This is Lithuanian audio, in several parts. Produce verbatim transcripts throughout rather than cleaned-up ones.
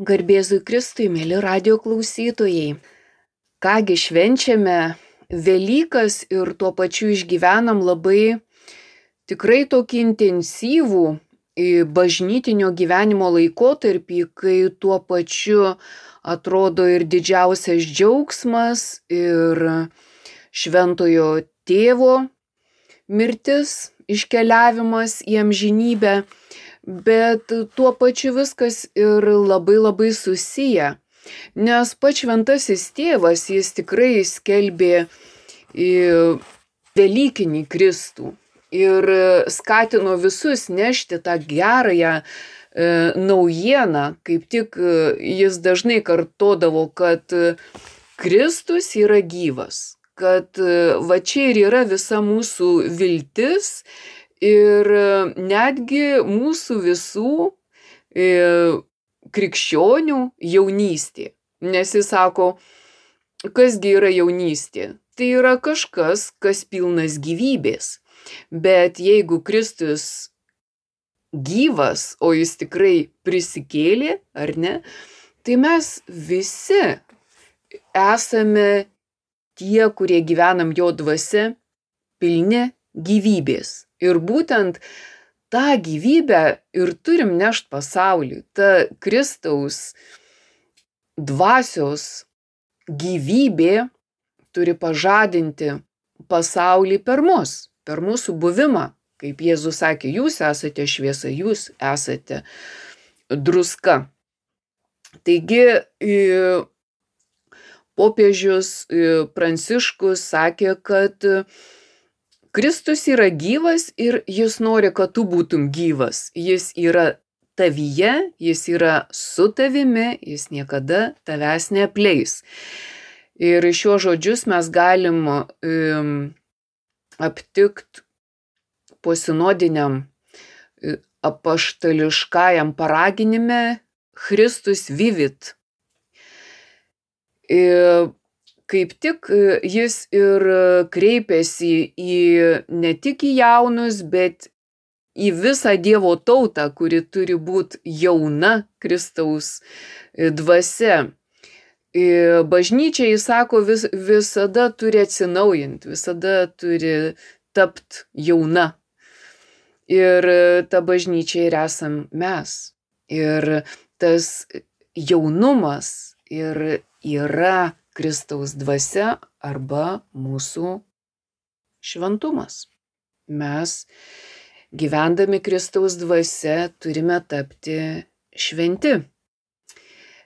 Garbėzui Kristui, mėly radijo klausytojai. Kągi švenčiame Velykas ir tuo pačiu išgyvenam labai tikrai tokį intensyvų bažnytinio gyvenimo laikotarpį, kai tuo pačiu atrodo ir didžiausias džiaugsmas, ir šventojo tėvo mirtis, iškeliavimas į amžinybę, bet tuo pačiu viskas ir labai labai susiję. Nes pats šventasis tėvas, jis tikrai skelbė Velykinį Kristų ir skatino visus nešti tą gerąją naujieną. Kaip tik jis dažnai kartodavo, kad Kristus yra gyvas, kad va čia ir yra visa mūsų viltis ir netgi mūsų visų krikščionių jaunystė. Nes jis sako, kasgi yra jaunystė? Tai yra kažkas, kas pilnas gyvybės. Bet jeigu Kristus gyvas, o jis tikrai prisikėlė, ar ne, tai mes visi esame tie, kurie gyvenam jo dvasia, pilni gyvybės. Ir būtent tą gyvybę ir turim nešt pasauliui. Ta Kristaus dvasios gyvybė turi pažadinti pasaulį per mus, per mūsų buvimą. Kaip Jėzus sakė, jūs esate šviesa, jūs esate druska. Taigi popiežius Pranciškus sakė, kad Kristus yra gyvas ir jis nori, kad tu būtum gyvas. Jis yra tavyje, jis yra su tavimi, jis niekada tavęs neapleis. Ir šiuos žodžius mes galim um, aptikti posinodiniam apaštališkajam paraginime Christus vivit. Ir kaip tik jis ir kreipiasi į ne tik į jaunus, bet į visą Dievo tautą, kuri turi būti jauna Kristaus dvasia. Bažnyčia, jis sako, vis, visada turi atsinaujinti, visada turi tapti jauna. Ir ta bažnyčia ir esam mes. Ir tas jaunumas ir yra Kristaus dvasia arba mūsų šventumas. Mes, gyvendami Kristaus dvasia, turime tapti šventi.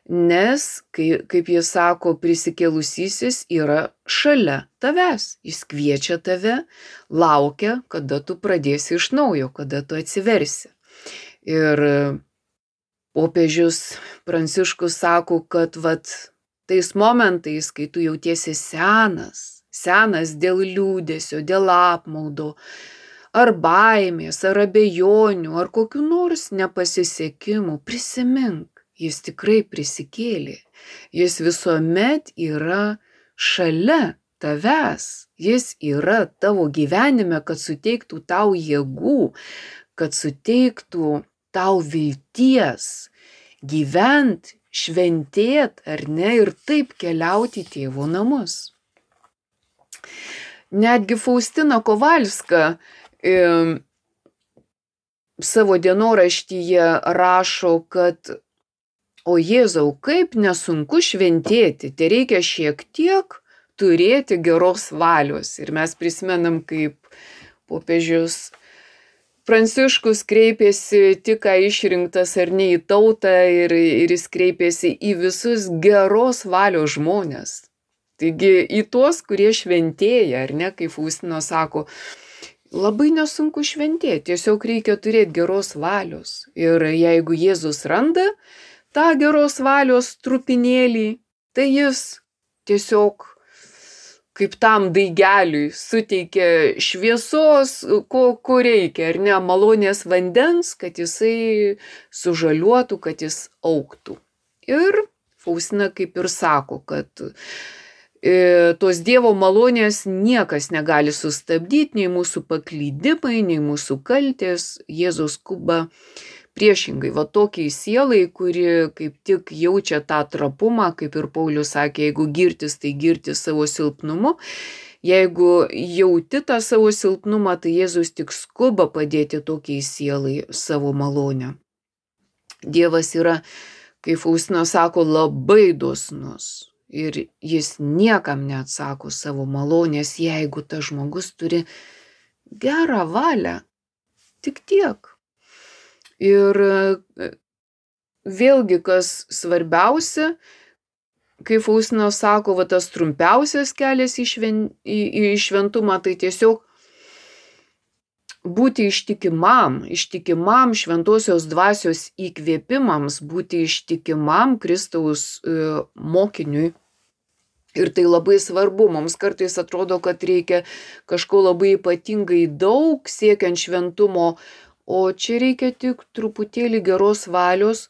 Nes, kai, kaip jis sako, prisikėlusysis yra šalia tavęs. Jis kviečia tave, laukia, kada tu pradėsi iš naujo, kada tu atsiversi. Ir popiežius Pranciškus sako, kad vat, tais momentais, kai tu jautiesi senas, senas dėl liūdesio, dėl apmaudo, ar baimės, ar abejonių, ar kokių nors nepasisekimų, prisimink, jis tikrai prisikėlė. Jis visuomet yra šalia tavęs. Jis yra tavo gyvenime, kad suteiktų tau jėgų, kad suteiktų tau vilties gyvent, šventėt, ar ne, ir taip keliauti į tėvo namus. Netgi Faustina Kovalska e, savo dienoraštyje rašo, kad o Jėzau, kaip nesunku šventėti, tai reikia šiek tiek turėti geros valios. Ir mes prisimenam, kaip popiežius Pranciškus kreipėsi tik ką išrinktas ar ne į tautą ir, ir jis kreipėsi į visus geros valios žmonės. Taigi į tuos, kurie šventėja, ar ne, kaip Faustina sako, labai nesunku šventėti, tiesiog reikia turėti geros valios. Ir jeigu Jėzus randa tą geros valios trupinėlį, tai jis tiesiog kaip tam daigeliui suteikia šviesos, ko, ko reikia, ar ne, malonės vandens, kad jisai sužaliuotų, kad jis augtų. Ir Faustina kaip ir sako, kad e, tos Dievo malonės niekas negali sustabdyti, nei mūsų paklydimai, nei mūsų kaltės. Jėzus skuba priešingai, va tokiai sielai, kuri kaip tik jaučia tą trapumą, kaip ir Paulius sakė, jeigu girtis, tai girtis savo silpnumu. Jeigu jauti tą savo silpnumą, tai Jėzus tik skuba padėti tokiai sielai savo malonę. Dievas yra, kaip Faustina sako, labai dosnus ir jis niekam neatsako savo malonės, jeigu tas žmogus turi gerą valią. Tik tiek. Ir vėlgi, kas svarbiausia, kai Faustina sako, va tas trumpiausias kelias į, šven, į, į šventumą, tai tiesiog būti ištikimam, ištikimam šventosios dvasios įkvėpimams, būti ištikimam Kristaus e, mokiniui. Ir tai labai svarbu, mums kartais atrodo, kad reikia kažko labai ypatingai daug siekiant šventumo, o čia reikia tik truputėlį geros valios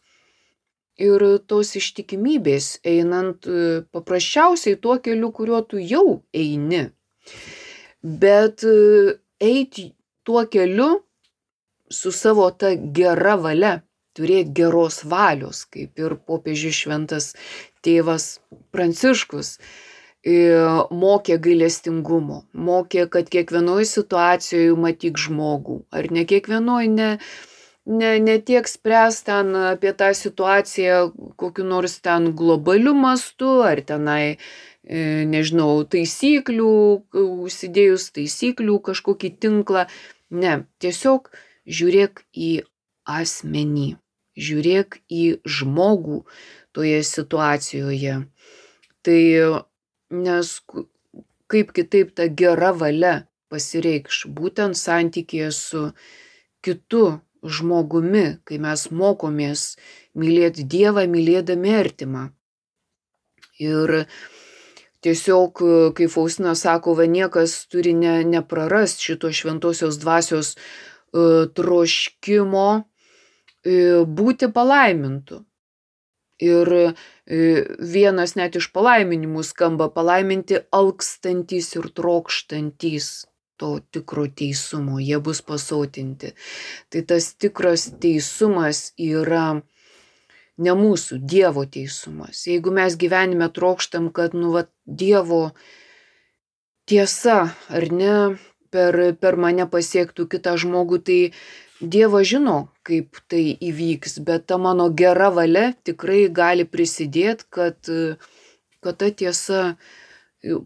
ir tos ištikimybės, einant paprasčiausiai tuo keliu, kuriuo tu jau eini. Bet eiti tuo keliu su savo ta gera valia, turėti geros valios, kaip ir popiežius šventas tėvas Pranciškus mokė gailestingumo, mokė, kad kiekvienoje situacijoje matyk žmogų, ar ne kiekvienoje, ne, ne, ne tiek spręs ten apie tą situaciją kokiu nors ten globaliu mastu, ar tenai, nežinau, taisyklių, užsidėjus taisyklių kažkokį tinklą. Ne, tiesiog žiūrėk į asmenį, žiūrėk į žmogų toje situacijoje. Tai nes kaip kitaip ta gera valia pasireikš būtent santykėje su kitu žmogumi, kai mes mokomės mylėti Dievą, mylėdami artimą. Ir tiesiog, kaip Faustina sako, va niekas turi ne, neprarast šito šventosios dvasios uh, troškimo uh, būti palaimintu. Ir vienas net iš palaiminimų skamba palaiminti alkstantys ir trokštantys to tikro teisumo, jie bus pasotinti. Tai tas tikras teisumas yra ne mūsų, Dievo teisumas. Jeigu mes gyvenime trokštam, kad nu, va, Dievo tiesa, ar ne, per, per mane pasiektų kitą žmogų, tai Dievas žino, kaip tai įvyks, bet ta mano gera valia tikrai gali prisidėti, kad, kad ta tiesa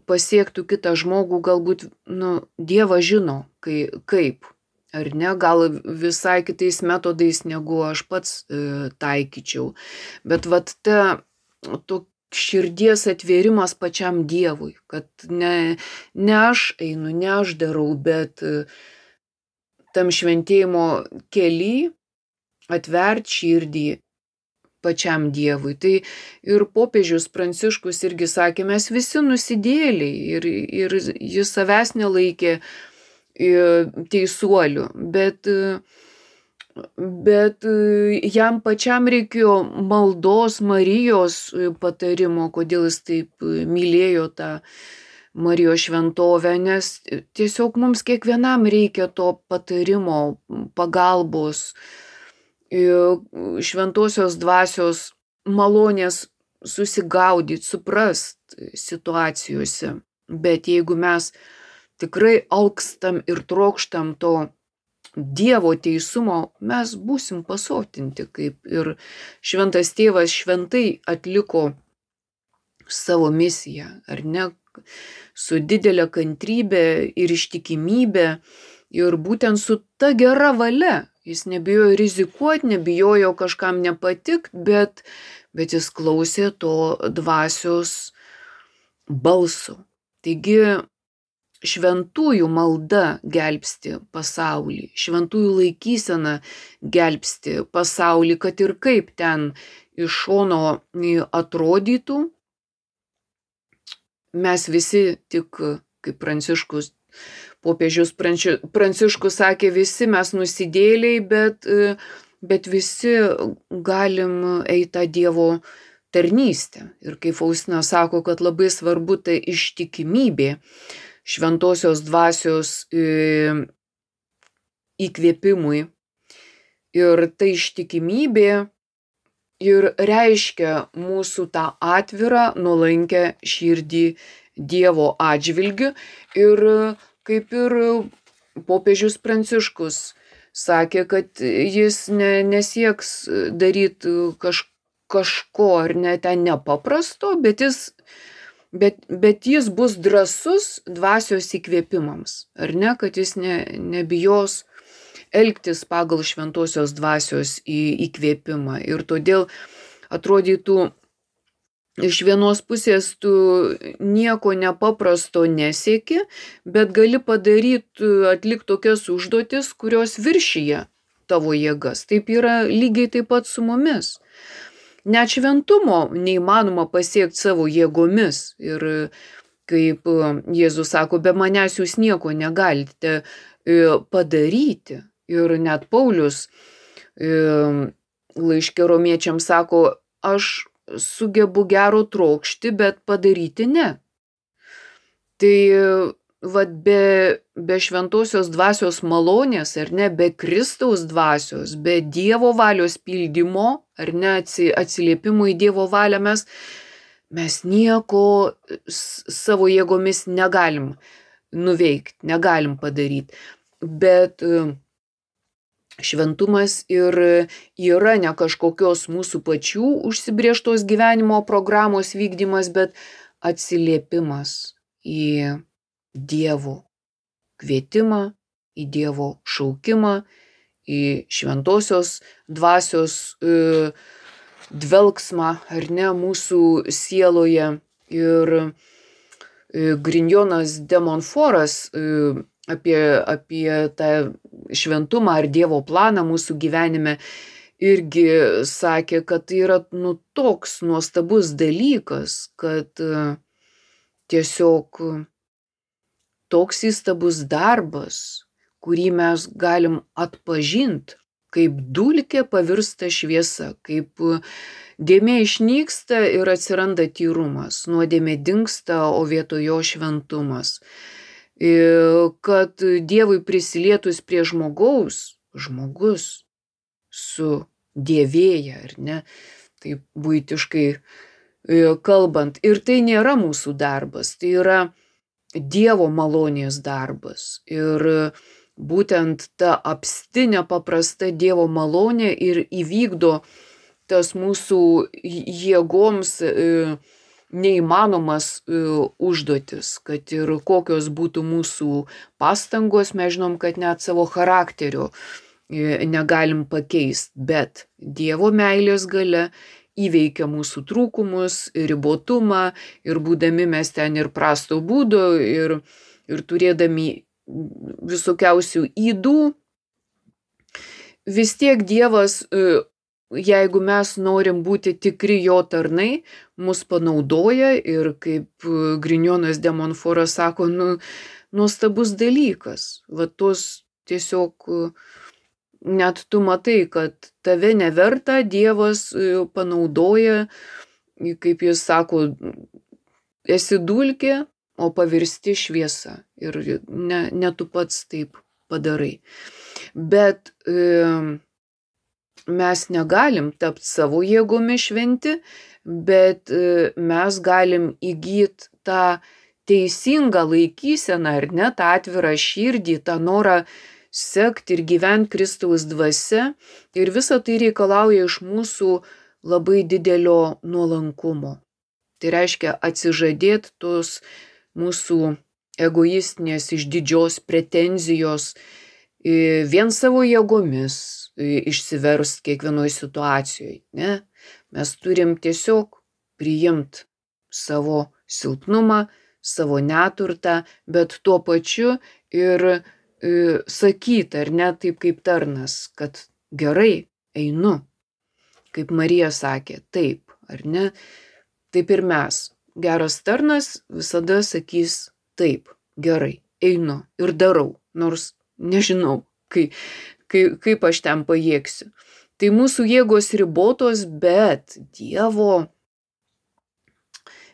pasiektų kitą žmogų, galbūt nu, Dievas žino, kai, kaip, ar ne, gal visai kitais metodais, negu aš pats e, taikyčiau. Bet vat ta to širdies atvėrimas pačiam Dievui, kad ne, ne aš einu, ne aš darau, bet e, tam šventėjimo kely atvert širdį pačiam Dievui. Tai ir popiežius Pranciškus irgi sakė, mes visi nusidėliai ir, ir jis savęs nelaikė teisuoliu, bet, bet jam pačiam reikėjo maldos Marijos patarimo, kodėl jis taip mylėjo tą Marijos šventovę, nes tiesiog mums kiekvienam reikia to patarimo, pagalbos, šventosios dvasios malonės susigaudyti, suprast situacijose. Bet jeigu mes tikrai alkstam ir trokštam to Dievo teisumo, mes būsim pasotinti, kaip ir šventas tėvas šventai atliko savo misiją, ar ne, su didelė kantrybė ir ištikimybė ir būtent su ta gera valia. Jis nebijojo rizikuoti, nebijojo kažkam nepatikti, bet, bet jis klausė to dvasios balso. Taigi šventųjų malda gelbsti pasaulį, šventųjų laikysena gelbsti pasaulį, kad ir kaip ten iš šono atrodytų. Mes visi tik, kaip Pranciškus, popiežius Pranciškus sakė, visi mes nusidėliai, bet, bet visi galim eiti tą Dievo tarnystę. Ir kaip Faustina sako, kad labai svarbu tai ištikimybė šventosios dvasios įkvėpimui, Ir ta ištikimybė ir reiškia mūsų tą atvirą, nuolankę širdį Dievo atžvilgiu. Ir kaip ir popiežius Pranciškus sakė, kad jis ne, nesieks daryti kaž, kažko ar ne ten nepaprasto, bet jis, bet, bet jis bus drąsus dvasios įkvėpimams, ar ne, kad jis ne, nebijos elgtis pagal šventosios dvasios į, įkvėpimą. Ir todėl atrodytų, iš vienos pusės tu nieko nepaprasto nesieki, bet gali padaryti, atlikti tokias užduotis, kurios viršyje tavo jėgas. Taip yra lygiai taip pat su mumis. Net šventumo neįmanoma pasiekti savo jėgomis. Ir kaip Jėzus sako, be manęs jūs nieko negalite padaryti. Ir net Paulius laiške romiečiams sako, aš sugebu gero trokšti, bet padaryti ne. Tai vat be, be šventosios dvasios malonės, ar ne, be Kristaus dvasios, be Dievo valios pildymo, ar ne, atsiliepimo į Dievo valią mes, mes nieko savo jėgomis negalim nuveikti, negalim padaryti. Bet šventumas ir yra ne kažkokios mūsų pačių užsibrėžtos gyvenimo programos vykdymas, bet atsiliepimas į Dievo kvietimą, į Dievo šaukimą, į šventosios dvasios e, dvelksmą, ar ne, mūsų sieloje. Ir e, Grignonas de Montfortas e, apie, apie tą šventumą ar Dievo planą mūsų gyvenime irgi sakė, kad tai yra nu, toks nuostabus dalykas, kad tiesiog toks įstabus darbas, kurį mes galim atpažinti, kaip dulkė pavirsta šviesa, kaip dėmė išnyksta ir atsiranda tyrumas, nuodėmė dingsta, o vietoj jo šventumas. Kad Dievui prisilietus prie žmogaus, žmogus sudėvėja, ar ne, taip buitiškai kalbant. Ir tai nėra mūsų darbas, tai yra Dievo malonės darbas. Ir būtent ta apstinė paprasta Dievo malonė ir įvykdo tas mūsų jėgoms neįmanomas užduotis, kad ir kokios būtų mūsų pastangos, mes žinom, kad net savo charakterio negalim pakeisti, bet Dievo meilės galia įveikia mūsų trūkumus, ribotumą, ir būdami mes ten ir prasto būdo, ir, ir turėdami visokiausių ydų, vis tiek Dievas, jeigu mes norim būti tikri jo tarnai, mus panaudoja. Ir kaip Grignonas de Montfortas sako, nu, nuostabus dalykas. Va tos tiesiog net tu matai, kad tave neverta Dievas panaudoja, kaip jis sako, esi dulkė, o pavirsti šviesa. Ir ne, ne tu pats taip padarai. Bet e, mes negalim tapti savo jėgomis šventi, bet e, mes galim įgyti tą teisingą laikyseną, ar ne, tą atvirą širdį, tą norą sekti ir gyventi Kristaus dvasia. Ir visa tai reikalauja iš mūsų labai didelio nuolankumo. Tai reiškia atsižadėti tos mūsų egoistinės išdidžios pretenzijos vien savo jėgomis išsiverst kiekvienoje situacijoje. Ne? Mes turim tiesiog priimti savo silpnumą, savo neturtą, bet tuo pačiu ir e, sakyti, ar ne, taip kaip tarnas, kad gerai, einu. Kaip Marija sakė, taip, ar ne, taip ir mes. Geras tarnas visada sakys taip, gerai, einu ir darau, nors nežinau, kai, kai, kaip aš ten pajėgsiu. Tai mūsų jėgos ribotos, bet Dievo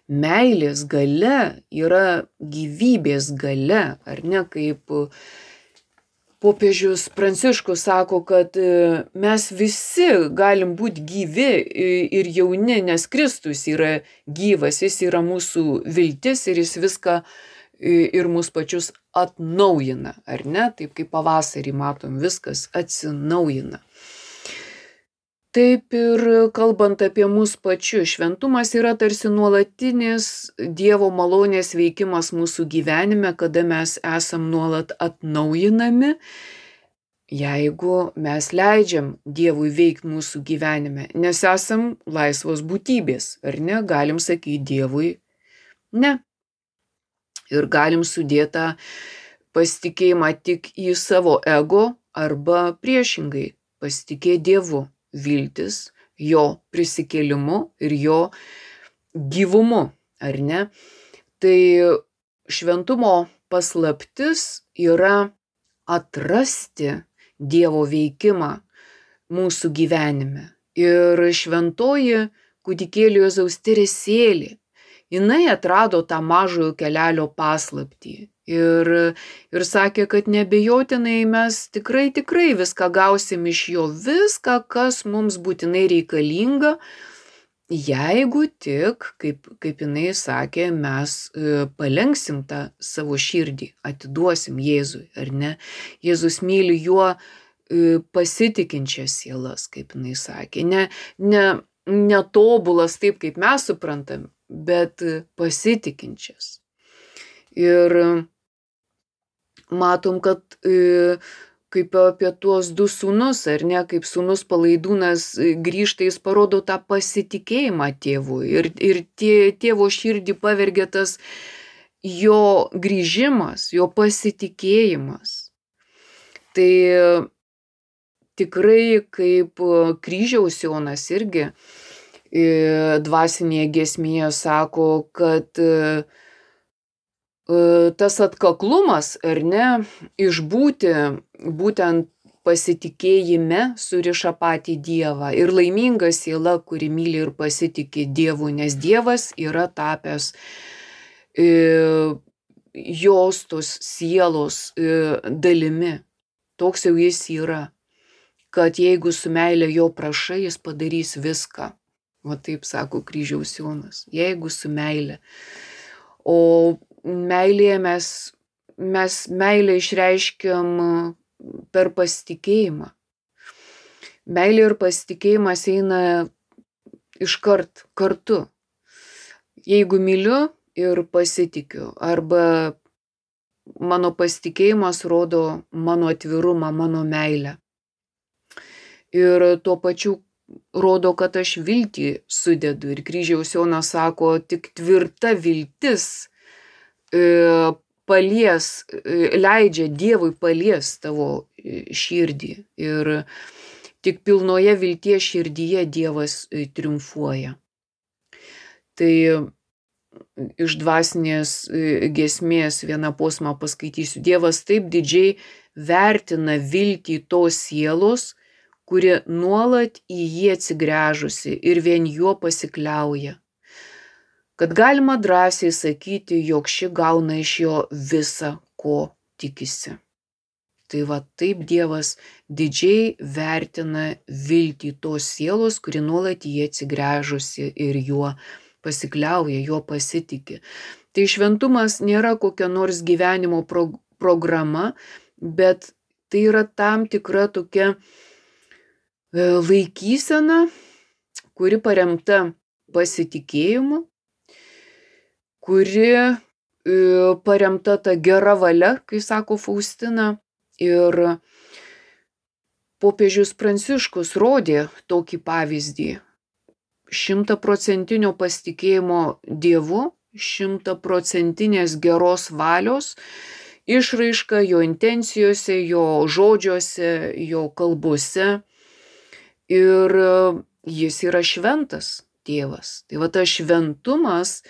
meilės galia yra gyvybės galia, ar ne, kaip Popiežius Pranciškus sako, kad mes visi galim būti gyvi ir jauni, nes Kristus yra gyvas, jis yra mūsų viltis ir jis viską ir mus pačius atnaujina, ar ne? Taip kaip pavasarį matom, viskas atsinaujina. Taip ir kalbant apie mus pačius, šventumas yra tarsi nuolatinis Dievo malonės veikimas mūsų gyvenime, kada mes esam nuolat atnaujinami, jeigu mes leidžiam Dievui veikti mūsų gyvenime, nes esam laisvos būtybės, ar ne? Galim sakyti Dievui ne. Ir galim sudėtą pasitikėjimą tik į savo ego arba priešingai pasitikėti Dievu. Viltis jo prisikėlimu ir jo gyvumu, ar ne? Tai šventumo paslaptis yra atrasti Dievo veikimą mūsų gyvenime. Ir šventoji kūdikėlio Jėzaus Teresėlė, jinai atrado tą mažojo kelelio paslaptį. Ir, ir sakė, kad neabejotinai mes tikrai, tikrai viską gausim iš jo, viską, kas mums būtinai reikalinga, jeigu tik, kaip, kaip jinai sakė, mes palenksim tą savo širdį, atiduosim Jėzui, ar ne? Jėzus myli juo pasitikinčias sielas, kaip jinai sakė, ne, ne, netobulas taip, kaip mes suprantam, bet pasitikinčias. Ir matom, kad kaip apie tuos du sūnus, ar ne, kaip sūnus Palaidūnas grįžta, jis parodo tą pasitikėjimą tėvui ir, ir tie, tėvo širdį pavergia tas jo grįžimas, jo pasitikėjimas. Tai tikrai kaip kryžiaus Jonas irgi dvasinėje giesmėje sako, kad tas atkaklumas, ar ne, išbūti būtent pasitikėjime suriša patį Dievą. Ir laiminga siela, kuri myli ir pasitikė Dievu, nes Dievas yra tapęs e, jos tos sielos e, dalimi. Toks jau jis yra, kad jeigu su meile jo prašai, jis padarys viską. O taip sako kryžiaus Jonas, jeigu su meile. O meilėje mes, mes meilę išreiškiam per pasitikėjimą. Meilė ir pasitikėjimas eina iškart kartu. Jeigu myliu ir pasitikiu, arba mano pasitikėjimas rodo mano atvirumą, mano meilę. Ir tuo pačiu rodo, kad aš viltį sudedu. Ir kryžiaus Jonas sako, tik tvirta viltis palies, leidžia Dievui palies tavo širdį. Ir tik pilnoje vilties širdyje Dievas triumfuoja. Tai iš dvasinės giesmės vieną posmą paskaitysiu. Dievas taip didžiai vertina viltį tos sielos, kuri nuolat į jį atsigręžusi ir vien juo pasikliauja. Kad galima drąsiai sakyti, jog ši gauna iš jo visą, ko tikisi. Tai va taip Dievas didžiai vertina viltį tos sielos, kuri nuolat į jį atsigręžusi ir juo pasikliauja, juo pasitiki. Tai šventumas nėra kokia nors gyvenimo pro- programa, bet tai yra tam tikra tokia laikysena, kuri paremta pasitikėjimu, kuri paremta ta gera valia, kai sako Faustina. Ir popiežius Pranciškus rodė tokį pavyzdį. Šimtaprocentinio pasitikėjimo Dievu, šimtaprocentinės geros valios išraiška jo intencijose, jo žodžiuose, jo kalbose. Ir jis yra šventas tėvas. Tai va tas šventumas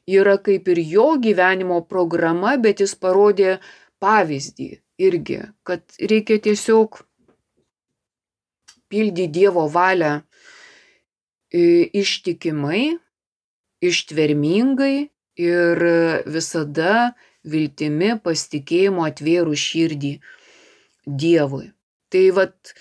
yra kaip ir jo gyvenimo programa, bet jis parodė pavyzdį irgi, kad reikia tiesiog pildyti Dievo valią ištikimai, ištvermingai ir visada viltimi, pasitikėjimu atvėrus širdį Dievui. Tai vat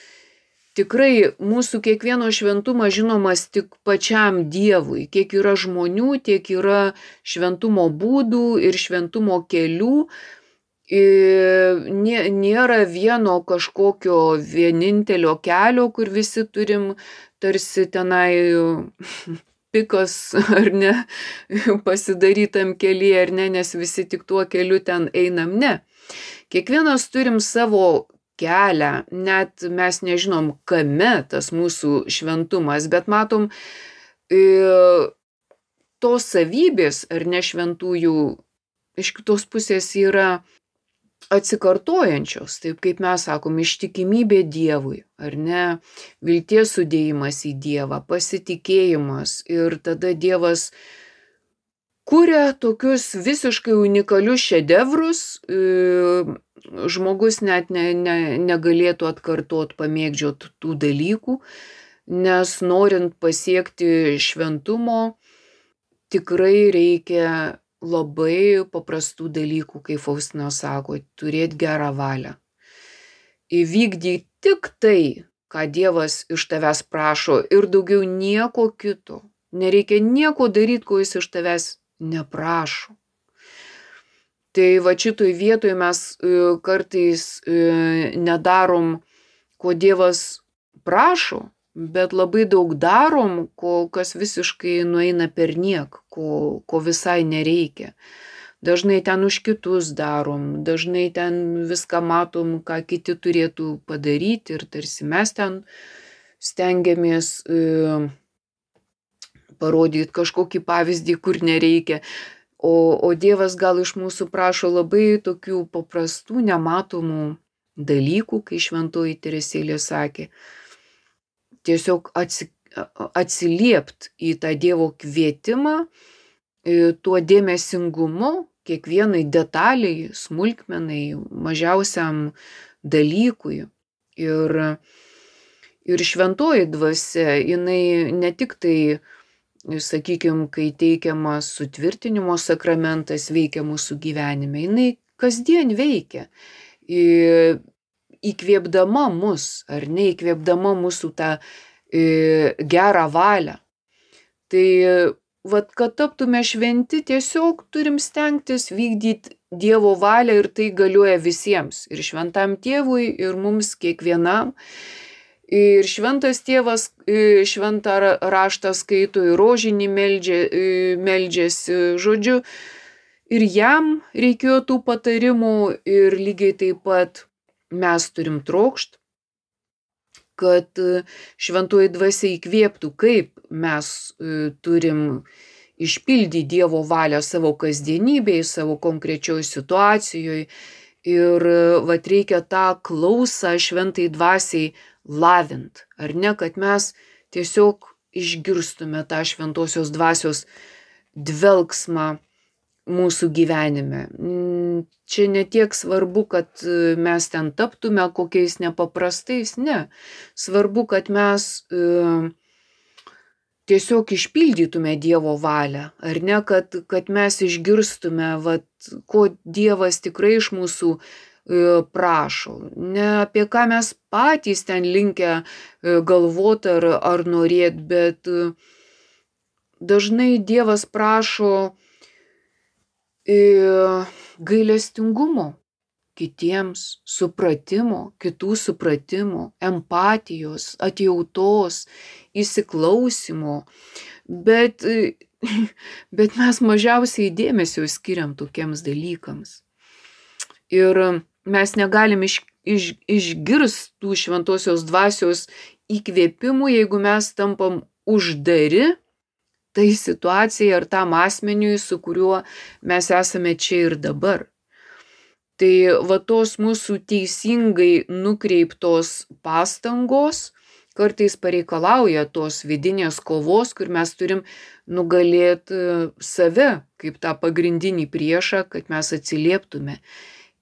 tikrai mūsų kiekvieno šventumas žinomas tik pačiam Dievui. Kiek yra žmonių, tiek yra šventumo būdų ir šventumo kelių. Nėra vieno kažkokio vienintelio kelio, kur visi turim tarsi tenai pikas ar ne, pasidarytam kelyje ar ne, nes visi tik tuo keliu ten einam, ne. Kiekvienas turim savo kelią, net mes nežinom, kame tas mūsų šventumas, bet matom, tos savybės ar ne šventųjų iš kitos pusės yra atsikartojančios, taip kaip mes sakom, ištikimybė Dievui, ar ne, vilties sudėjimas į Dievą, pasitikėjimas ir tada Dievas kuria tokius visiškai unikalius šedevrus, žmogus net ne, ne, negalėtų atkartot, pamėgdžiot tų dalykų, nes norint pasiekti šventumo, tikrai reikia labai paprastų dalykų, kaip Faustina sako, turėti gerą valią. Įvykdyti tik tai, ką Dievas iš tavęs prašo ir daugiau nieko kito. Nereikia nieko daryti, ko jis iš tavęs neprašo. Tai va šitoj vietoj mes kartais nedarom, ko Dievas prašo, bet labai daug darom, ko, kas visiškai nueina per niek, ko, ko visai nereikia. Dažnai ten už kitus darom, dažnai ten viską matom, ką kiti turėtų padaryti ir tarsi mes ten stengiamės e, parodyti kažkokį pavyzdį, kur nereikia. O, o Dievas gal iš mūsų prašo labai tokių paprastų, nematomų dalykų, kai šventoji Teresėlė sakė, tiesiog atsiliept į tą Dievo kvietimą, tuo dėmesingumu, kiekvienai detaliai, smulkmenai, mažiausiam dalykui. Ir, ir šventoji dvasia, jinai ne tik tai, sakykime, kai teikiamas sutvirtinimo sakramentas veikia mūsų gyvenime, jinai kasdien veikia. Įkvėpdama mus, ar ne, įkvėpdama mūsų tą e, gerą valią. Tai, vat, kad taptume šventi, tiesiog turim stengtis vykdyti Dievo valią ir tai galioja visiems. Ir šventam tėvui, ir mums kiekvienam. Ir šventas tėvas šventą raštą skaito, ir rožinį meldžia, meldžiasi, žodžiu. Ir jam reikėjo tų patarimų ir lygiai taip pat mes turim trokšt, kad šventoji dvasia įkvėptų, kaip mes turim išpildyti Dievo valią savo kasdienybėje, savo konkrečioj situacijoje. Ir vat reikia tą klausą šventai dvasiai lavint, ar ne, kad mes tiesiog išgirstume tą šventosios dvasios dvelksmą mūsų gyvenime. Čia ne tiek svarbu, kad mes ten taptume kokiais nepaprastais, ne. Svarbu, kad mes e, tiesiog išpildytume Dievo valią, ar ne, kad, kad mes išgirstume, vat, ko Dievas tikrai iš mūsų e, prašo. Ne apie ką mes patys ten linkę e, galvoti ar, ar norėti, bet e, dažnai Dievas prašo gailestingumo kitiems, supratimo, kitų supratimo, empatijos, atjautos, įsiklausimo, bet, bet mes mažiausiai dėmesio skiriam tokiems dalykams. Ir mes negalim iš, iš, išgirsti tų šventosios dvasios įkvėpimų, jeigu mes tampam uždari tai situacijai ar tam asmeniui, su kuriuo mes esame čia ir dabar. Tai va tos mūsų teisingai nukreiptos pastangos kartais pareikalauja tos vidinės kovos, kur mes turim nugalėti save kaip tą pagrindinį priešą, kad mes atsilieptume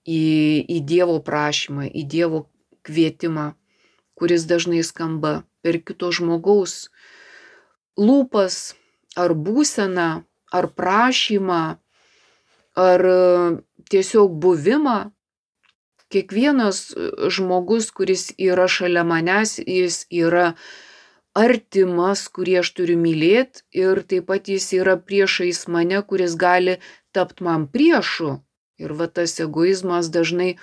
į, į Dievo prašymą, į Dievo kvietimą, kuris dažnai skamba per kito žmogaus lūpas, ar būseną, ar prašymą, ar tiesiog buvimą. kiekvienas žmogus, kuris yra šalia manęs, jis yra artimas, kurį aš turiu mylėti, ir taip pat jis yra priešais mane, kuris gali tapti man priešu. Ir va tas egoizmas dažnai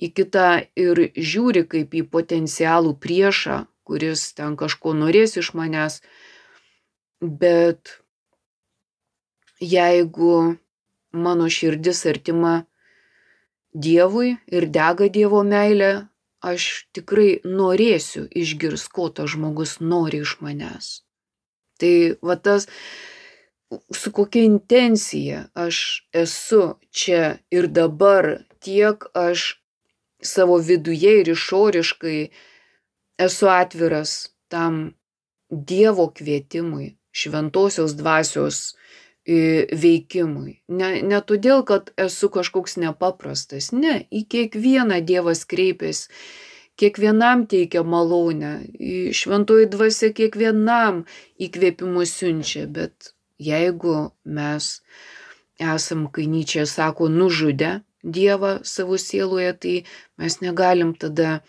į kitą ir žiūri kaip į potencialų priešą, kuris ten kažko norės iš manęs. Bet jeigu mano širdis artima Dievui ir dega Dievo meilė, aš tikrai norėsiu išgirsti, ko tas žmogus nori iš manęs. Tai va tas, su kokia intencija aš esu čia ir dabar, tiek aš savo viduje ir išoriškai esu atviras tam Dievo kvietimui, šventosios dvasios veikimui. Ne, ne todėl, kad esu kažkoks nepaprastas, ne, į kiekvieną Dievas kreipiasi, kiekvienam teikia malonę, šventoji dvasia kiekvienam įkvėpimus siunčia, bet jeigu mes esam, kai Nyčė sako, nužudę Dievą savo sieloje, tai mes negalim tada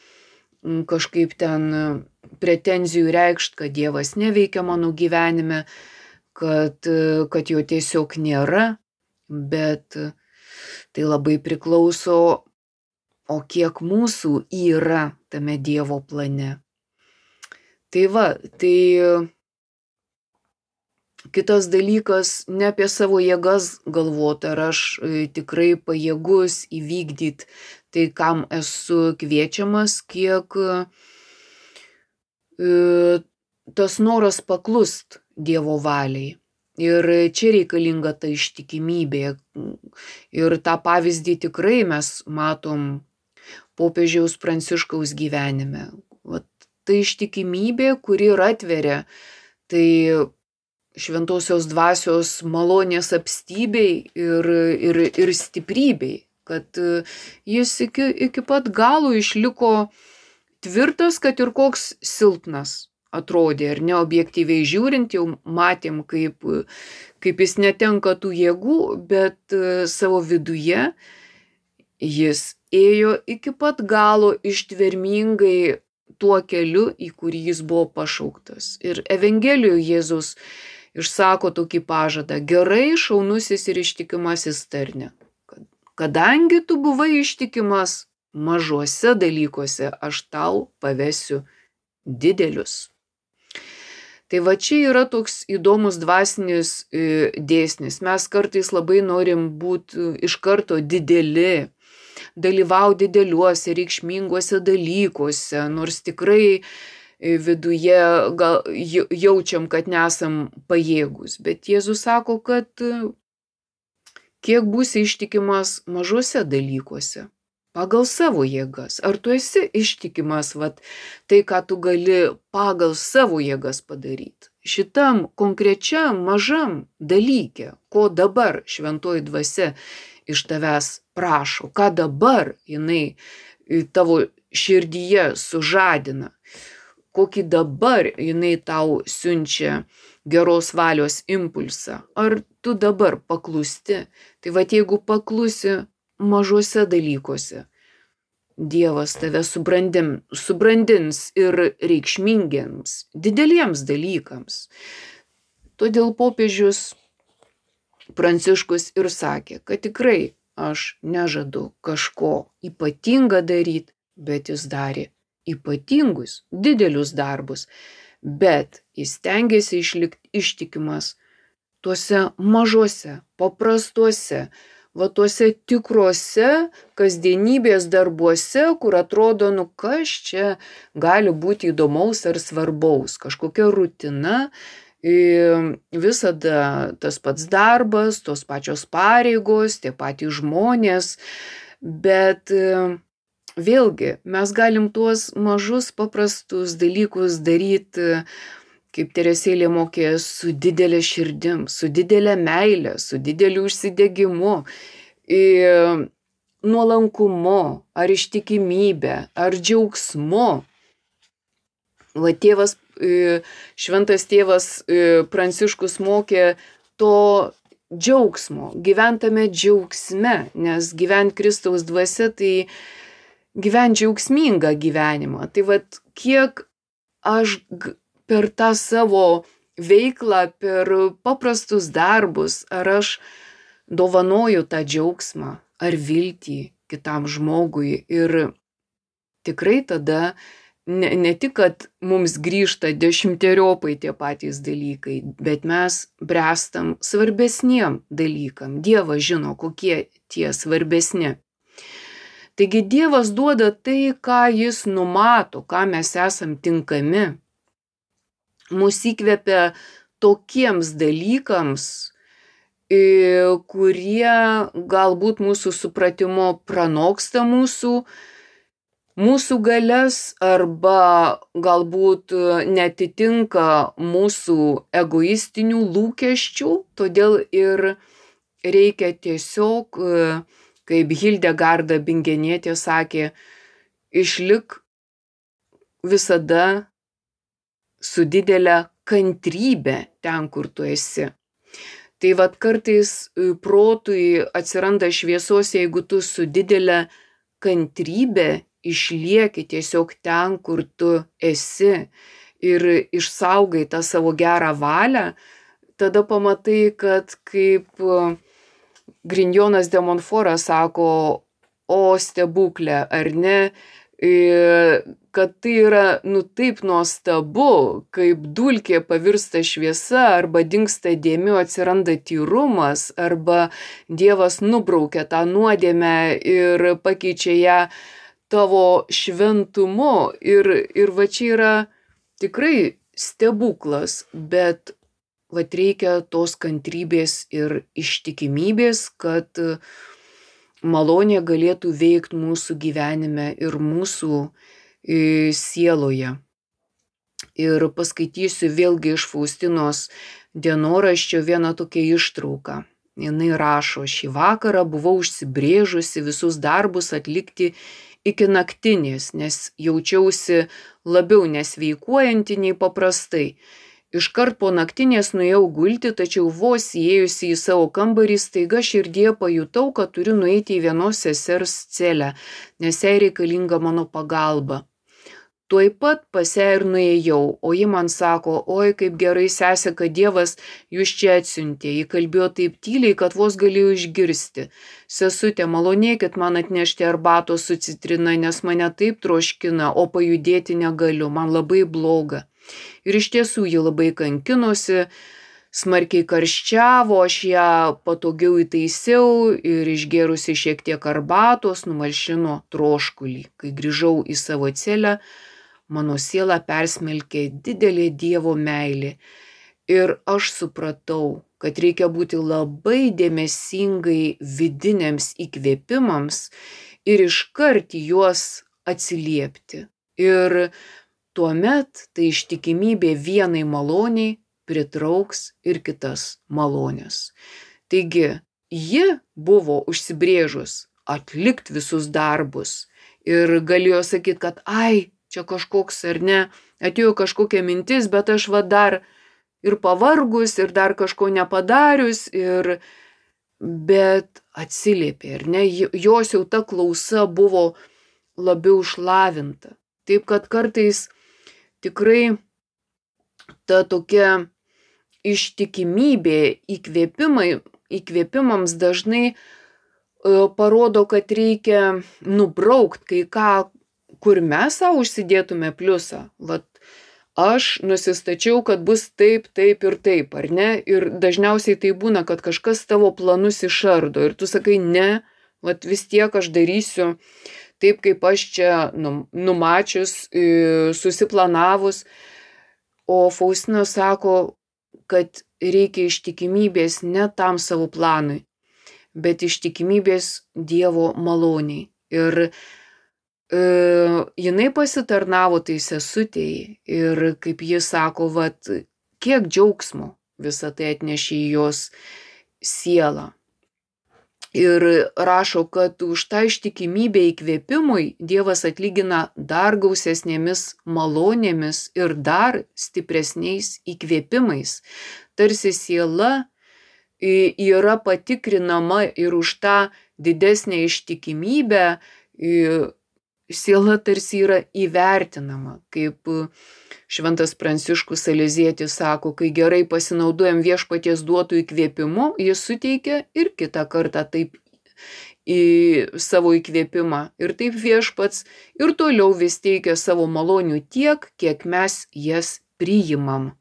kažkaip ten pretenzijų reikšti, kad Dievas neveikia mano gyvenime, kad, kad jo tiesiog nėra, bet tai labai priklauso, o kiek mūsų yra tame Dievo plane. Tai va, tai kitas dalykas, ne apie savo jėgas galvoti, ar aš tikrai pajėgus įvykdyti tai, kam esu kviečiamas, kiek tas noras paklust Dievo valiai. Ir čia reikalinga ta ištikimybė. Ir tą pavyzdį tikrai mes matom popiežiaus Pranciškaus gyvenime. Vat ta ištikimybė, kuri ir atveria tai šventosios dvasios malonės apstybei ir, ir, ir stiprybei, kad jis iki, iki pat galo išliko tvirtas, kad ir koks silpnas atrodė, ir neobjektyviai žiūrint, jau matėm, kaip, kaip jis netenka tų jėgų, bet savo viduje jis ėjo iki pat galo ištvermingai tuo keliu, į kurį jis buvo pašauktas. Ir Evangelijoje Jėzus išsako tokį pažadą: gerai, šaunusis ir ištikimasis tarne. Kadangi tu buvai ištikimas mažuose dalykuose, aš tau pavesiu didelius. Tai va čia yra toks įdomus dvasinis dėsnis. Mes kartais labai norim būti iš karto dideli, dalyvauti dideliuose, reikšminguose dalykuose, nors tikrai viduje gal jaučiam, kad nesam pajėgus. Bet Jėzus sako, kad kiek būsi ištikimas mažuose dalykuose, pagal savo jėgas. Ar tu esi ištikimas, vat, tai, ką tu gali pagal savo jėgas padaryti? Šitam konkrečiam mažam dalyke, ko dabar šventoji dvasia iš tavęs prašo, ką dabar jinai tavo širdyje sužadina, kokį dabar jinai tau siunčia geros valios impulsą. Ar tu dabar paklusti? Tai vat jeigu paklusi mažuose dalykuose, Dievas tave subrandin, subrandins ir reikšmingiems, dideliems dalykams. Todėl popiežius Pranciškus ir sakė, kad tikrai aš nežadu kažko ypatingą daryti, bet jis darė ypatingus, didelius darbus, bet jis stengiasi išlikti ištikimas tuose mažuose, paprastuose, va tuose tikruose kasdienybės darbuose, kur atrodo, nu kas čia gali būti įdomaus ar svarbaus, kažkokia rutina, visada tas pats darbas, tos pačios pareigos, tie patys žmonės, bet vėlgi mes galim tuos mažus paprastus dalykus daryti, kaip Teresėlė mokė, su didelė širdim, su didelė meilė, su dideliu užsidegimu, nuolankumu, ar ištikimybė, ar džiaugsmu. Va tėvas, šventas tėvas Pranciškus mokė to džiaugsmo, gyventame džiaugsme, nes gyvent Kristaus dvasia tai gyventi džiaugsmingą gyvenimą. Tai vat kiek aš per tą savo veiklą, per paprastus darbus, ar aš dovanoju tą džiaugsmą ar viltį kitam žmogui. Ir tikrai tada ne, ne tik, kad mums grįžta dešimteriopai tie patys dalykai, bet mes bręstam svarbesniem dalykam. Dievas žino, kokie tie svarbesni. Taigi Dievas duoda tai, ką jis numato, ką mes esam tinkami. Mūsų įkvepia tokiems dalykams, kurie galbūt mūsų supratimo pranoksta mūsų, mūsų galias arba galbūt netitinka mūsų egoistinių lūkesčių, todėl ir reikia tiesiog, kaip Hildegarda Bingenietė sakė, išlik visada su didelė kantrybė ten, kur tu esi. Tai vat kartais protui atsiranda šviesos, jeigu tu su didelė kantrybė išlieki tiesiog ten, kur tu esi ir išsaugai tą savo gerą valią, tada pamatai, kad kaip Grignonas de Montfortas sako, o stebuklė, ar ne, kad tai yra nu taip nuostabu, kaip dulkė pavirsta šviesa, arba dingsta dėmių, atsiranda tyrumas, arba Dievas nubraukia tą nuodėmę ir pakeičia ją tavo šventumu. Ir, ir va čia yra tikrai stebuklas, bet vat reikia tos kantrybės ir ištikimybės, kad malonė galėtų veikti mūsų gyvenime ir mūsų sieloje. Ir paskaitysiu vėlgi iš Faustinos dienoraščio vieną tokią ištrauką. Jinai rašo, šį vakarą buvau užsibrėžusi visus darbus atlikti iki naktinės, nes jaučiausi labiau nesveikuojanti nei paprastai. Iškart po naktinės nuėjau gulti, tačiau vos įėjusi į savo kambarį, staiga širdie pajutau, kad turiu nueiti į vienos sesers celę, nes jai reikalinga mano pagalba. Tuoj pat pas ją ir nuėjau, o ji man sako, oi kaip gerai sesė, kad Dievas jūs čia atsiuntė. Ji kalbėjo taip tyliai, kad vos galėjau išgirsti. Sesutė, malonėkit man atnešti arbatos su citrina, nes mane taip troškina, o pajudėti negaliu, man labai bloga. Ir iš tiesų ji labai kankinosi, smarkiai karščiavo, aš ją patogiau įtaisiau ir išgėrusi šiek tiek arbatos numalšino troškulį. Kai grįžau į savo celę, mano sielą persmelkė didelė Dievo meilė. Ir aš supratau, kad reikia būti labai dėmesingai vidiniams įkvėpimams ir iškart į juos atsiliepti. Ir tuomet tai ištikimybė vienai maloniai pritrauks ir kitas malonės. Taigi, ji buvo užsibrėžus atlikti visus darbus ir galėjo sakyti, kad ai, čia kažkoks ar ne, atėjo kažkokia mintis, bet aš va dar ir pavargus, ir dar kažko nepadarius, ir bet atsiliepė, ar ne, jos jau ta klausa buvo labiau išlavinta. Taip, kad kartais tikrai ta tokia ištikimybė įkvėpimai, įkvėpimams dažnai parodo, kad reikia nubraukt kai ką, kur mes savo užsidėtume pliusą. Vat aš nusistačiau, kad bus taip, taip ir taip, ar ne? Ir dažniausiai tai būna, kad kažkas tavo planus išardo ir tu sakai, ne, vat vis tiek aš darysiu taip, kaip aš čia numačius, susiplanavus. O Faustina sako, kad reikia ištikimybės ne tam savo planui, bet ištikimybės Dievo maloniai. Ir e, jinai pasitarnavo tai sesutei ir kaip ji sako, vat, kiek džiaugsmo visą tai atnešė į jos sielą. Ir rašo, kad už tą ištikimybę įkvėpimui Dievas atlygina dar gausesnėmis malonėmis ir dar stipresniais įkvėpimais. Tarsi siela yra patikrinama ir už tą didesnę ištikimybę siela tarsi yra įvertinama, kaip Šventas Pranciškus Salezietis sako, kai gerai pasinaudojam viešpaties duotų įkvėpimu, jis suteikia ir kitą kartą taip į savo įkvėpimą. Ir taip viešpats ir toliau vis teikia savo malonių tiek, kiek mes jas priimam.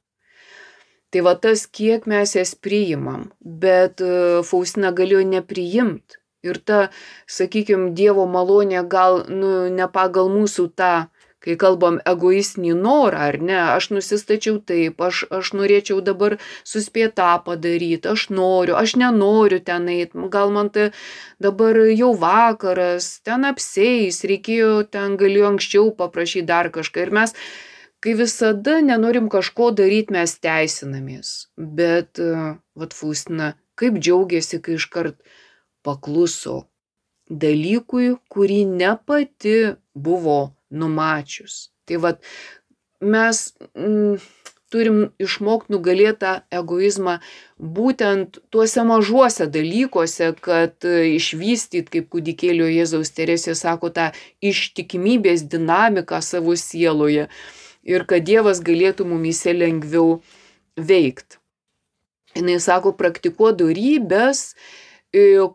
Tai va tas, kiek mes jas priimam, bet Faustina galėjo nepriimt. Ir ta, sakykime, Dievo malonė gal nu, ne pagal mūsų tą, kai kalbam egoistinį norą, ar ne, aš nusistačiau taip, aš, aš norėčiau dabar suspėti tą padaryti, aš noriu, aš nenoriu ten eit, gal man tai dabar jau vakaras, ten apseis, reikėjo, ten galėjau anksčiau paprašyti dar kažką. Ir mes, kai visada nenorim kažko daryti, mes teisinamės. Bet, vat Faustina, kaip džiaugiasi, kai iškart pakluso dalykui, kurį ne pati buvo numačius. Tai vat mes mm, turim išmokti nugalėti tą egoizmą būtent tuose mažuose dalykuose, kad išvystyt, kaip kūdikėlio Jėzaus Teresė sako, tą ištikimybės dinamiką savo sieloje ir kad Dievas galėtų mumyse lengviau veikti. Jis sako, praktikuo dorybės,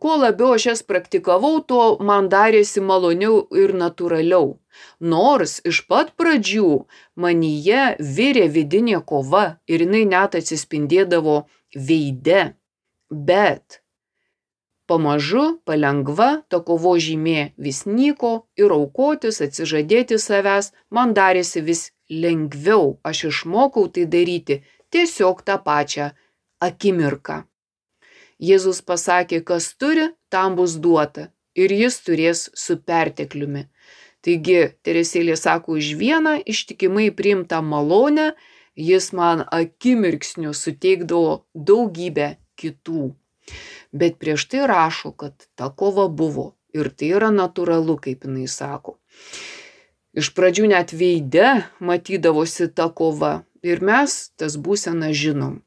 kuo labiau aš jas praktikavau, tuo man darėsi maloniau ir natūraliau. Nors iš pat pradžių manyje virė vidinė kova ir jinai net atsispindėdavo veide, bet pamažu, palengva, ta kovo žymė vis nyko ir aukotis, atsižadėti savęs, man darėsi vis lengviau. Aš išmokau tai daryti tiesiog tą pačią akimirką. Jėzus pasakė, kas turi, tam bus duota ir jis turės su pertekliumi. Taigi, Teresėlė sako, už vieną ištikimai priimtą malonę jis man akimirksniu suteikdavo daugybę kitų. Bet prieš tai rašo, kad ta kova buvo ir tai yra natūralu, kaip jinai sako. Iš pradžių net veide matydavosi ta kova ir mes tas būseną žinom.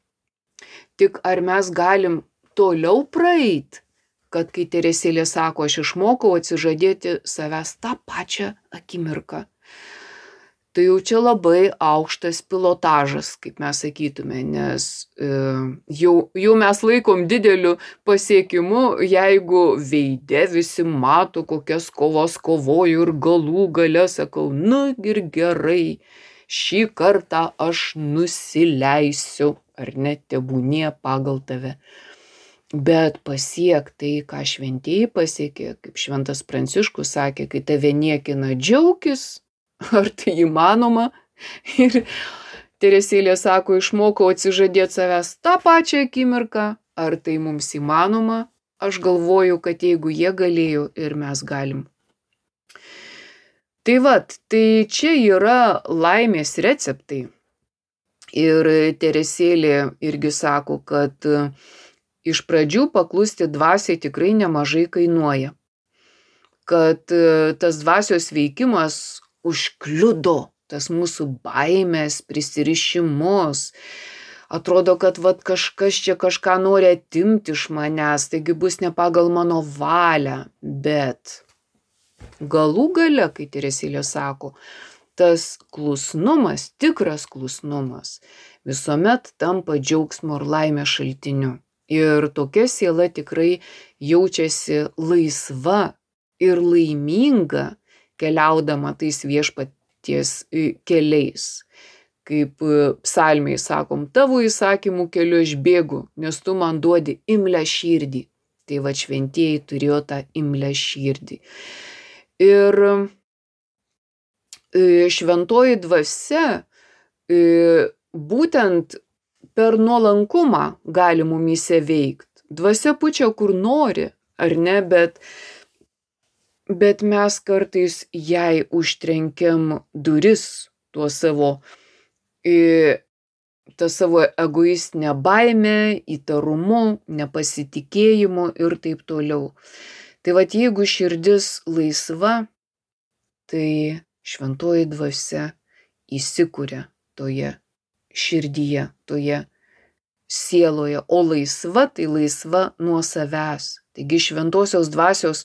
Tik ar mes galim toliau praeit, kad kai Teresėlė sako, aš išmokau atsižadėti savęs tą pačią akimirką. Tai jau čia labai aukštas pilotažas, kaip mes sakytume, nes e, jau, jau mes laikom dideliu pasiekimu, jeigu veide visi mato, kokias kovas kovoju ir galų gale sakau, nu ir gerai, šį kartą aš nusileisiu, ar net tebūnie pagal tave. Bet pasiek tai, ką šventieji pasiekė, kaip Šventas Pranciškus sakė, kai tave niekina, džiaukis, ar tai įmanoma? Ir Teresėlė sako, išmokau atsižadėti savęs tą pačią akimirką, ar tai mums įmanoma? Aš galvoju, kad jeigu jie galėjo ir mes galim. Tai vat, tai čia yra laimės receptai. Ir Teresėlė irgi sako, kad iš pradžių paklusti dvasiai tikrai nemažai kainuoja. Kad tas dvasios veikimas užkliudo tas mūsų baimės, prisirišimus. Atrodo, kad vat, kažkas čia kažką nori atimti iš manęs, taigi bus ne pagal mano valią. Bet galų gale, kai Teresėlė sako, tas klusnumas, tikras klusnumas, visuomet tampa džiaugsmo ir laimės šaltiniu. Ir tokia siela tikrai jaučiasi laisva ir laiminga keliaudama tais viešpaties keliais. Kaip psalmiai sakom, tavo įsakymų keliu aš bėgu, nes tu man duodi imlią širdį. Tai va šventieji turėjo tą imlią širdį. Ir šventoji dvasia būtent per nuolankumą gali mumyse veikti. Dvasia pučia kur nori, ar ne, bet, bet mes kartais jai užtrenkiam duris tuo savo, tą savo egoistinę baimę, įtarumu, nepasitikėjimu ir taip toliau. Tai vat jeigu širdis laisva, tai šventoji dvasia įsikuria toje širdyje, toje sieloje, o laisva tai laisva nuo savęs. Taigi šventosios dvasios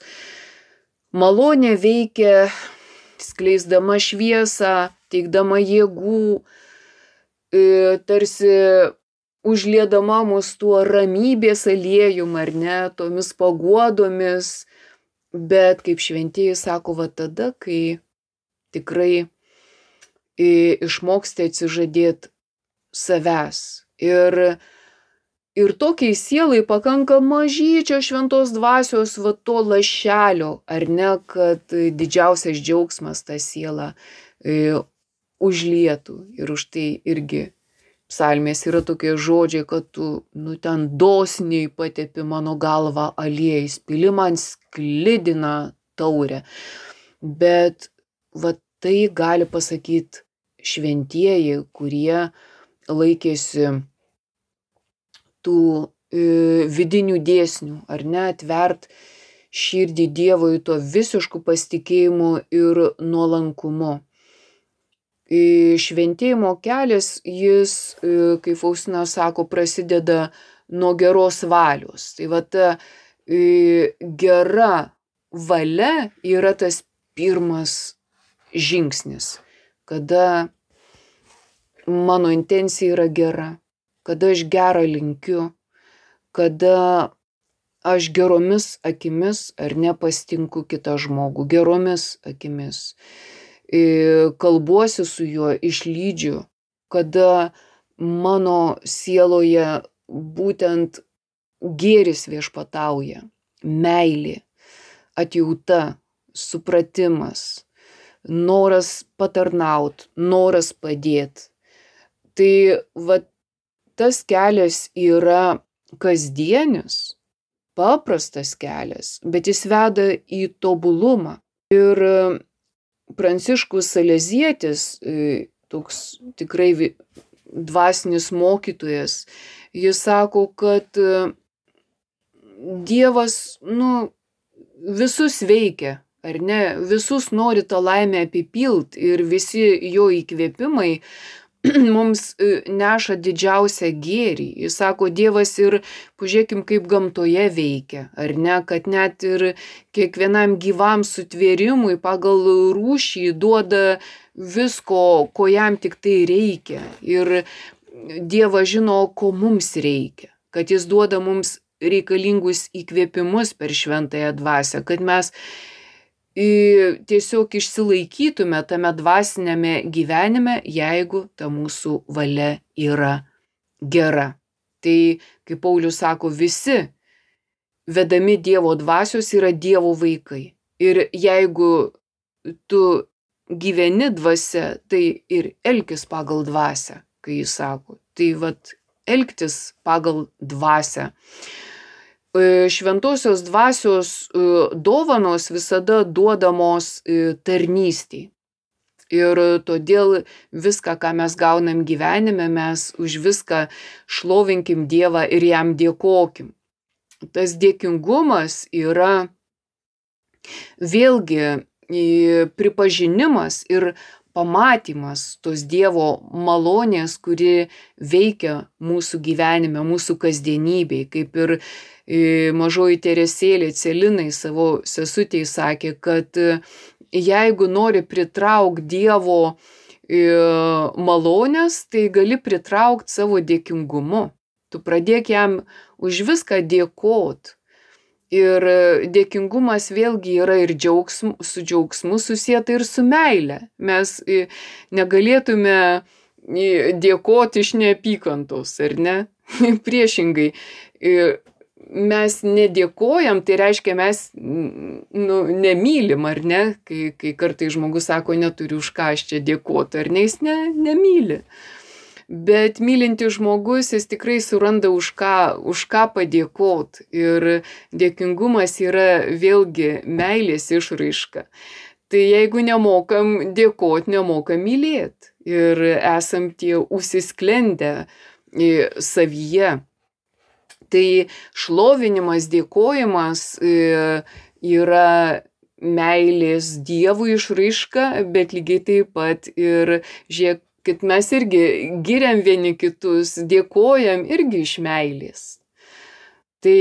malonė veikia skleisdama šviesą, teikdama jėgų, tarsi užliedama mus tuo ramybės aliejum, ar ne, tomis paguodomis, bet kaip šventieji sako, va tada, kai tikrai išmoksti atsižadėti savęs. Ir, ir tokiai sielai pakanka mažyčio šventos dvasios, va to lašelio, ar ne, kad didžiausias džiaugsmas tą sielą e, užlietų. Ir už tai irgi psalmės yra tokie žodžiai, kad tu, nu, ten dosniai patepi mano galvą aliejais, pili man sklidiną taurę. Bet va tai gali pasakyti šventieji, kurie laikėsi tų e, vidinių dėsnių, ar ne, atvert širdį Dievui to visišku pasitikėjimu ir nuolankumu. E, šventėjimo kelias, jis, e, kaip Faustina sako, prasideda nuo geros valios. Tai va ta e, gera valia yra tas pirmas žingsnis, kada mano intencija yra gera, kada aš gerą linkiu, kada aš geromis akimis ar nepastinku kitą žmogų, geromis akimis, kalbuosi su juo, išlydžiu, kada mano sieloje būtent gėris viešpatauja, meilė, atjauta, supratimas, noras patarnaut, noras padėti. Tai va, tas kelias yra kasdienis, paprastas kelias, bet jis veda į tobulumą. Ir Pranciškus Salezietis, toks tikrai dvasinis mokytojas, jis sako, kad Dievas, nu, visus veikia, ar ne, visus nori tą laimę apipilt ir visi jo įkvėpimai mums neša didžiausią gėrį. Jis sako, Dievas ir, pažiūrėkim, kaip gamtoje veikia, ar ne, kad net ir kiekvienam gyvam sutvėrimui pagal rūšį duoda visko, ko jam tik tai reikia. Ir Dievas žino, ko mums reikia, kad jis duoda mums reikalingus įkvėpimus per šventąją dvasią, kad mes tiesiog išsilaikytume tame dvasinėme gyvenime, jeigu ta mūsų valia yra gera. Tai, kaip Paulius sako, visi vedami Dievo dvasios yra Dievo vaikai. Ir jeigu tu gyveni dvasia, tai ir elkis pagal dvasią, kai jis sako. Tai vat, elgtis pagal dvasią. Šventosios dvasios dovanos visada duodamos tarnystei. Ir todėl viską, ką mes gaunam gyvenime, mes už viską šlovinkim Dievą ir jam dėkokim. Tas dėkingumas yra vėlgi pripažinimas ir pamatymas tos Dievo malonės, kuri veikia mūsų gyvenime, mūsų kasdienybėj, kaip ir mažoji Teresėlė Celinai savo sesutei sakė, kad jeigu nori pritraukti Dievo malonės, tai gali pritraukti savo dėkingumu. Tu pradėk jam už viską dėkot. Ir dėkingumas vėlgi yra ir džiaugsmu, su džiaugsmu susieta ir su meile. Mes negalėtume dėkoti iš neapykantos, ar ne? Priešingai. Mes nedėkojam, tai reiškia mes nu, nemylim, ar ne? Kai, kai kartai žmogus sako, neturiu už ką aš čia dėkoti, ar ne, jis ne, nemyli. Bet mylintis žmogus, jis tikrai suranda už ką, už ką padėkot. Ir dėkingumas yra vėlgi meilės išraiška. Tai jeigu nemokam dėkot, nemokam mylėt. Ir esam tie užsisklendę savyje. Tai šlovinimas, dėkojimas yra meilės Dievui išraiška, bet lygiai taip pat ir, žiūrėk, kad mes irgi giriam vieni kitus, dėkojam irgi iš meilės. Tai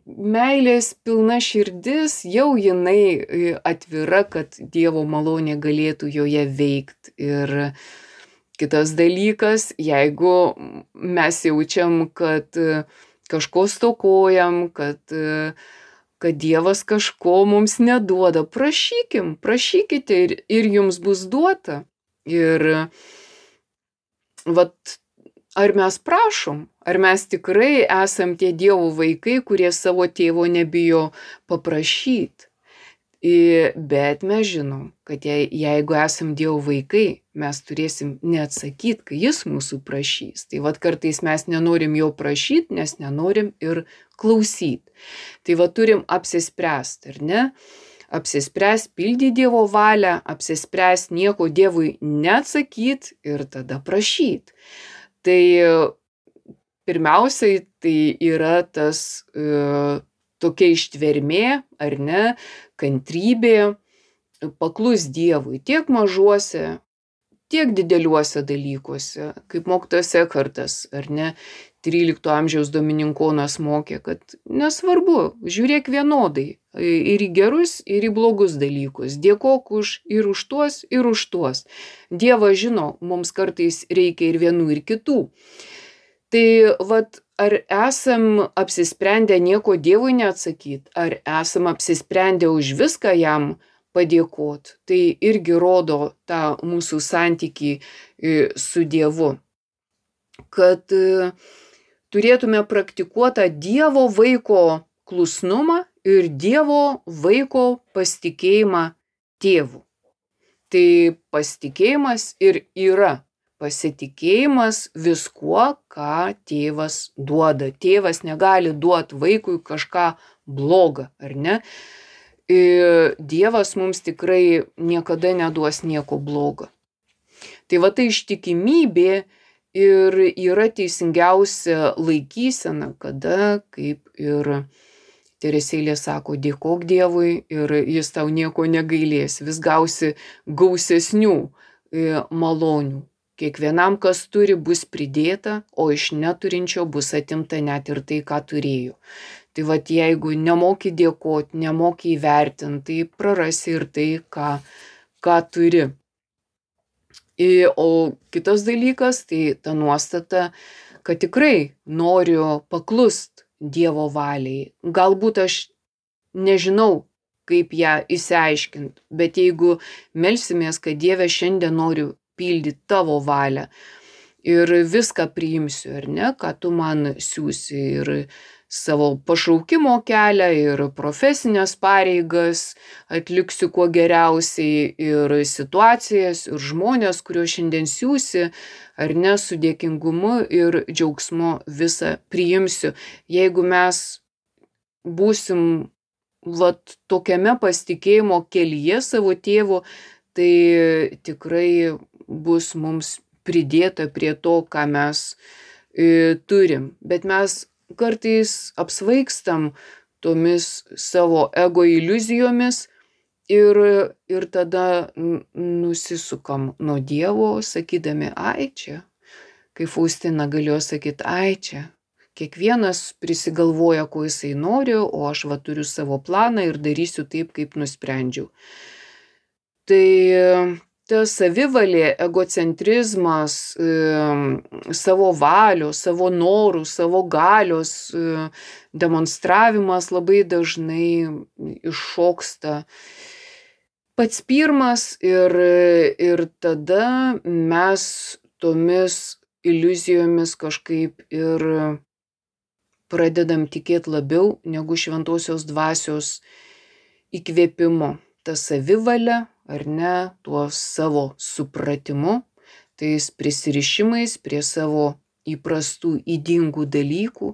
meilės pilna širdis, jau jinai atvira, kad Dievo malonė galėtų joje veikti. Ir kitas dalykas, jeigu mes jaučiam, kad kažko stokojam, kad, kad Dievas kažko mums neduoda, prašykim, prašykite ir, ir jums bus duota. Ir vat, ar mes prašom, ar mes tikrai esam tie Dievo vaikai, kurie savo tėvo nebijo paprašyti. Bet mes žinom, kad je, jeigu esam Dievo vaikai, mes turėsim neatsakyti, kai jis mūsų prašys. Tai vat kartais mes nenorim jo prašyti, nes nenorim ir klausyti. Tai vat turim apsispręsti, ar ne? Apsispręs pildyti Dievo valią, apsispręs nieko Dievui neatsakyti ir tada prašyti. Tai pirmiausiai tai yra tas e, tokia ištvermė, ar ne, kantrybė, paklus Dievui tiek mažuose, tiek dideliuose dalykuose, kaip mokytojas Ekhartas, ar ne, trylikto amžiaus domininkonas mokė, kad nesvarbu, žiūrėk vienodai ir į gerus, ir į blogus dalykus, dėkok už ir už tuos, ir už tuos. Dievas žino, mums kartais reikia ir vienų, ir kitų. Tai vat, ar esam apsisprendę nieko Dievui neatsakyti, ar esam apsisprendę už viską jam padėkoti, tai irgi rodo tą mūsų santykį su Dievu. Kad turėtume praktikuotą Dievo vaiko klusnumą ir Dievo vaiko pasitikėjimą tėvu. Tai pasitikėjimas ir yra pasitikėjimas viskuo, ką tėvas duoda. Tėvas negali duoti vaikui kažką blogą, ar ne? Ir Dievas mums tikrai niekada neduos nieko blogo. Tai va tai ištikimybė ir yra teisingiausia laikysena, kada, kaip ir Teresėlė sako, dėkok Dievui ir jis tau nieko negailės, vis gausi gausesnių malonių. Kiekvienam, kas turi, bus pridėta, o iš neturinčio bus atimta net ir tai, ką turėjo. Tai vat jeigu nemoki dėkoti, nemoki įvertinti, tai prarasi ir tai, ką, ką turi. O kitas dalykas, tai ta nuostata, kad tikrai noriu paklust Dievo valiai. Galbūt aš nežinau, kaip ją išsiaiškinti, bet jeigu melsimės, kad Dieve šiandien noriu pildyti tavo valią ir viską priimsiu, ar ne, ką tu man siūsi, ir savo pašaukimo kelią, ir profesinės pareigas atliksiu kuo geriausiai, ir situacijas, ir žmonės, kuriuos šiandien siūsi, ar ne, su dėkingumu ir džiaugsmu visą priimsiu. Jeigu mes būsim vat tokiame pasitikėjimo kelyje savo tėvu, tai tikrai bus mums pridėta prie to, ką mes e, turim. Bet mes kartais apsvaigstam tomis savo ego iliuzijomis ir, ir tada nusisukam nuo Dievo, sakydami, ai čia, kaip Faustina galėjo sakyti, ai čia, kiekvienas prisigalvoja, ko jisai nori, o aš va turiu savo planą ir darysiu taip, kaip nusprendžiau. Tai ta savivalė, egocentrizmas, savo valios, savo norų, savo galios demonstravimas labai dažnai iššoksta pats pirmas ir, ir tada mes tomis iliuzijomis kažkaip ir pradedam tikėti labiau negu šventosios dvasios įkvėpimu. Ta savivalė, ar ne, tuo savo supratimu, tais prisirišimais prie savo įprastų ydingų dalykų,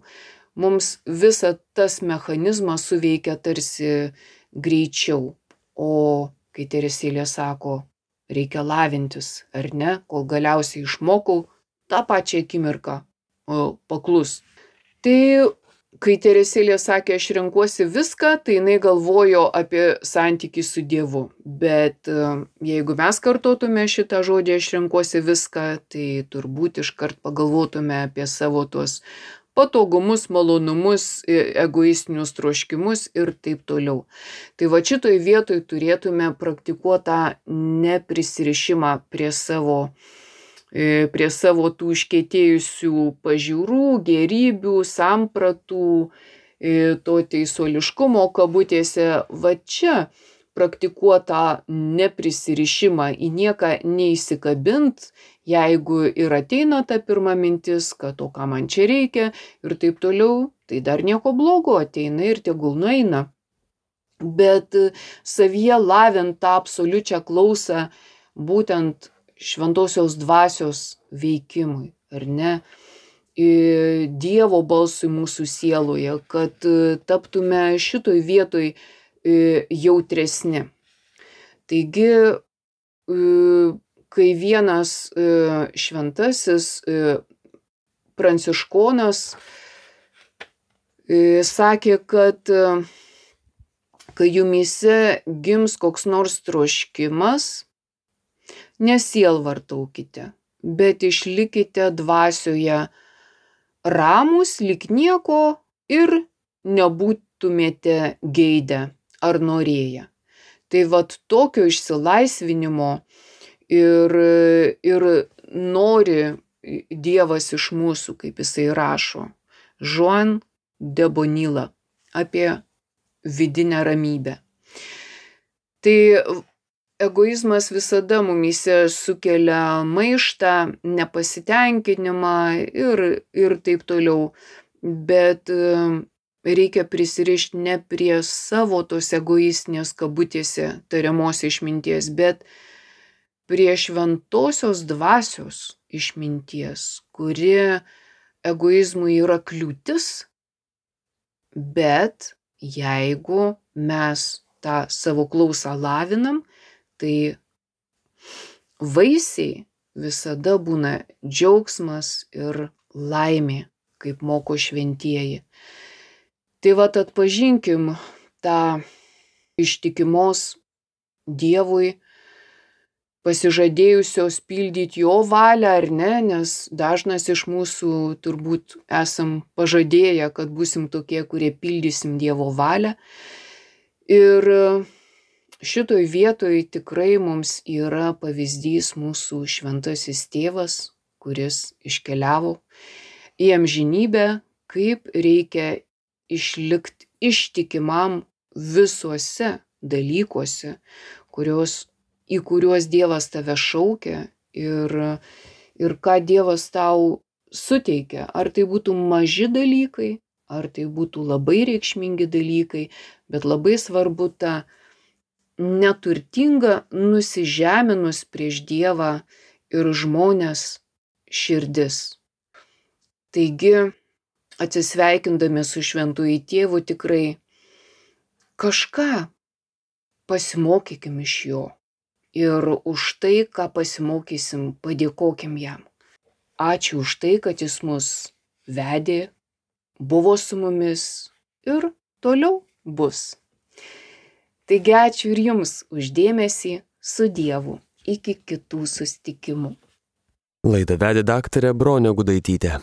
mums visa tas mechanizmas suveikia tarsi greičiau. O kai Teresėlė sako, reikia lavintis, ar ne, kol galiausiai išmokau tą pačią akimirką paklus. Tai kai Teresėlė sakė, aš renkuosi viską, tai jinai galvojo apie santykį su Dievu. Bet jeigu mes kartotume šitą žodį, aš renkuosi viską, tai turbūt iškart pagalvotume apie savo tuos patogumus, malonumus, egoistinius troškimus ir taip toliau. Tai va šitoj vietoj turėtume praktikuoti tą neprisirišimą prie savo, prie savo tų iškietėjusių pažiūrų, gėrybių, sampratų, to teisuoliškumo kabutėse. Va čia praktikuotą neprisirišimą, į nieką neįsikabint, jeigu ir ateina ta pirma mintis, kad o ką man čia reikia ir taip toliau, tai dar nieko blogo, ateina ir tegul nueina. Bet savyje lavint tą absoliučią klausą būtent šventosios dvasios veikimui, ar ne? Dievo balsui mūsų sieloje, kad taptume šitoj vietoj jautresni. Taigi, kai vienas šventasis pranciškonas sakė, kad kai jumyse gims koks nors troškimas, nesielvartaukite, bet išlikite dvasioje ramūs, lyg nieko ir nebūtumėte geidę ar norėję. Tai vat tokio išsilaisvinimo ir, ir nori Dievas iš mūsų, kaip jisai rašo, Joan de Bonilla, apie vidinę ramybę. Tai egoizmas visada mumyse sukelia maištą, nepasitenkinimą ir, ir taip toliau, bet reikia prisirišti ne prie savo tos egoistinės kabutėse tariamos išminties, bet prie šventosios dvasios išminties, kuri egoizmui yra kliūtis, bet jeigu mes tą savo klausą lavinam, tai vaisiai visada būna džiaugsmas ir laimė, kaip moko šventieji. Tai vat atpažinkim tą ištikimos Dievui, pasižadėjusios pildyti jo valią ar ne, nes dažnas iš mūsų turbūt esam pažadėję, kad būsim tokie, kurie pildysim Dievo valią. Ir šitoj vietoj tikrai mums yra pavyzdys mūsų šventasis tėvas, kuris iškeliavo į amžinybę, kaip reikia išlikti ištikimam visuose dalykuose, kurios, į kuriuos Dievas tave šaukia ir, ir ką Dievas tau suteikia. Ar tai būtų maži dalykai, ar tai būtų labai reikšmingi dalykai, bet labai svarbu ta neturtinga nusižeminus prieš Dievą ir žmones širdis. Taigi, atsisveikindami su šventuoju tėvu, tikrai kažką pasimokykim iš jo. Ir už tai, ką pasimokysim, padėkokim jam. Ačiū už tai, kad jis mus vedė, buvo su mumis ir toliau bus. Taigi ačiū ir jums už dėmesį, su Dievu. Iki kitų susitikimų. Laidą vedė daktarė Bronė Gudaitytė.